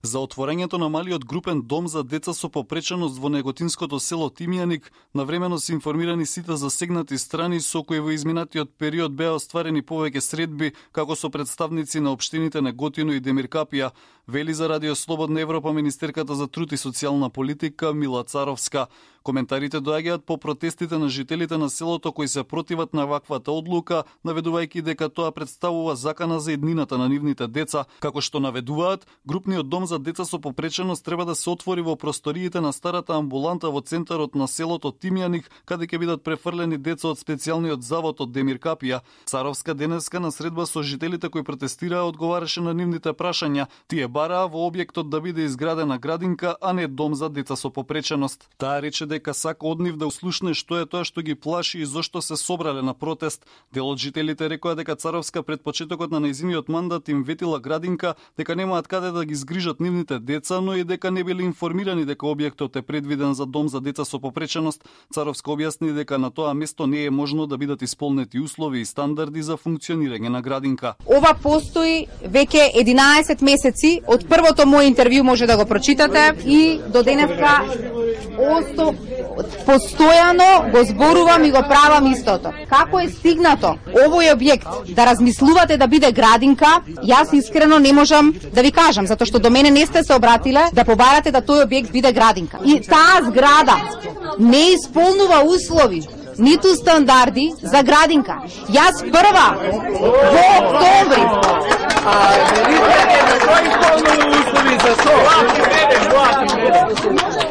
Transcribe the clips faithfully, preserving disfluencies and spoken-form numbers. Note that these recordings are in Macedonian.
За отворањето на малиот групен дом за деца со попреченост во неготинското село Тимјаник, навремено се информирани сите засегнати страни со кои во изминатиот период беа остварени повеќе средби, како со представници на општините Неготино и Демиркапија, вели за Радио Слободна Европа министерката за труд и социјална политика Мила Царовска. Коментарите доаѓаат по протестите на жителите на селото кои се противат на ваквата одлука, наведувајќи дека тоа представува закана за еднината на нивните деца, како што наведуваат, групниот дом за деца со попреченост треба да се отвори во просториите на старата амбуланта во центарот на селото Тимјаник, каде ќе бидат префрлени деца од специјалниот завод од Демиркапија. Царовска денеска на средба со жителите кои протестираа одговараше на нивните прашања. Тие бараа во објектот да биде изградена градинка, а не дом за деца со попреченост. Таа рече дека сака од нив да услушне што е тоа што ги плаши и зошто се собрале на протест. Дел од жителите рекоа дека Царовска пред почетокот на нејзиниот мандат им ветила градинка, дека немаат каде да ги згрижат нивните деца, но и дека не биле информирани дека објектот е предвиден за дом за деца со попреченост. Царовска објасни дека на тоа место не е можно да бидат исполнети услови и стандарди за функционирање на градинка. Ова постои веќе единаесет месеци, од првото моје интервју може да го прочитате и до денеска осто постојано го зборувам и го правам истото. Како е стигнато овој објект да размислувате да биде градинка, јас искрено не можам да ви кажам, затоа што до мене не сте се обратиле да побарате да тој објект биде градинка. И таа зграда не исполнува услови, ниту стандарди за градинка. Јас прва во октомври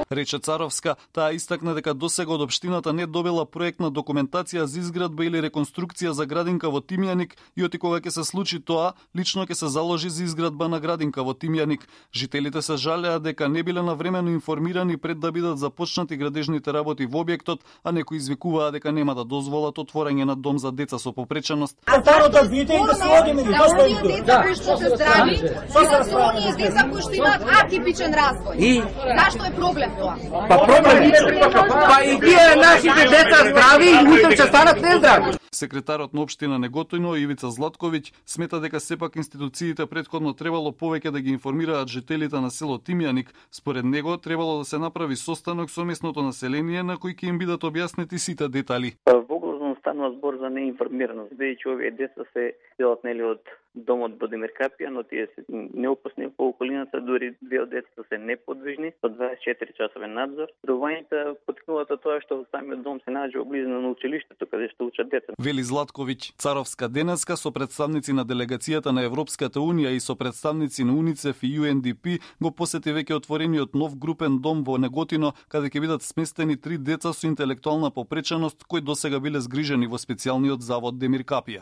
рече Царовска. Таа истакна дека досега од општината не добила проектна документација за изградба или реконструкција за градинка во Тимјаник и оти кога ќе се случи тоа, лично ќе се заложи за изградба на градинка во Тимјаник. Жителите се жалеа дека не биле навремено информирани пред да бидат започнати градежните работи во објектот, а некои извикуваа дека нема да дозволат отворање на дом за деца со попреченост. А зашто е спорно за оние деца кои што се здрави и за оние деца кои што имаат атипичен развој? И зашто е проблем тоа? Па проблем, па и тие нашите деца здрави и утре ќе станат нездрави. Секретарот на општина Неготино Ивица Златковиќ смета дека сепак институциите претходно требало повеќе да ги информираат жителите на село Тимјаник. Според него требало да се направи состанок со местното население на кој ќе им бидат објаснети сите детали. Во главно станува збор за неинформираност, бидејќи овие деца се делат нели од домот во Демиркапија, но тие се неопасни по околината, дури две од децата се неподвижни, со дваесет и четири часовен надзор. Родувањата поткнуваат тоа што самиот дом се наоѓа во близина на училиштето каде што учат деца. Вели Златковиќ. Царовска денеска со представници на делегацијата на Европската унија и со представници на УНИЦЕФ и Ю Ен Ди Пи го посети веќе отворениот нов групен дом во Неготино, каде ќе бидат сместени три деца со интелектуална попреченост кои досега биле згрижени во специјалниот завод Демиркапија.